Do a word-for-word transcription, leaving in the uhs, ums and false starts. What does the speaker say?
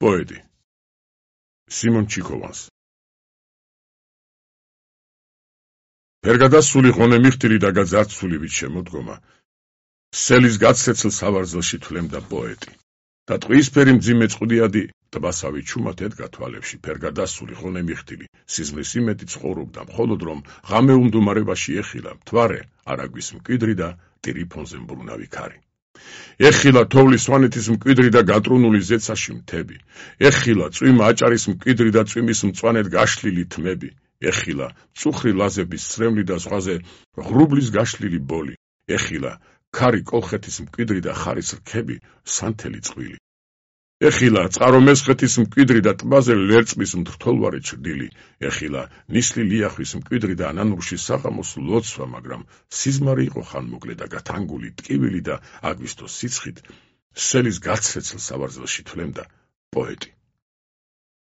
პოეტი სიმონ ჩიქოვანს ფერგადასული ღონე მიხტილი და გაძარცული ვით შემოდგომა სელის გაცეცილ სავარძელში თვლემდა პოეტი და ტყვიისფერი მძიმე წყუდიადი ტბასავი ჩუმად ედგა თვალებში ფერგადასული ღონე მიხტილი სიზმრის იმედი ცხოვრობდა მხოლოდ რომ ღამე უმდუმარებაში ეხილა მთვარე არაგვის მკვიდრი და ტირიფონზე მბრუნავი ქარი ეხილა თოვლის სვანეთის მკვიდრი და გატრუნული ზეცაში მთები ეხილა წვიმა აჭარის მკვიდრი და წვიმის მწვანედ გაშლილი თმები ეხილა წუხრი ლაზების სრემლი და ზღვაზე ღრუბლის გაშლილი ბოლი ეხილა ქარი კოლხეთის მკვიდრი და ხარის რქები სანთელი წყვილი ეხილა წყარო მესხეთის მკვიდრი და ტბაზე ლერწმის მრთოლვარე ჩრდილი ეხილა ნისლი ლიახვის მკვიდრი და ანანურში საღამოს ლოცვა მაგრამ სიზმარი იყო ხანმოკლე და გათანგული ტკივილი და აგვისტოს სიცხით სელის გაცეცილ სავარძელში თვლემდა პოეტი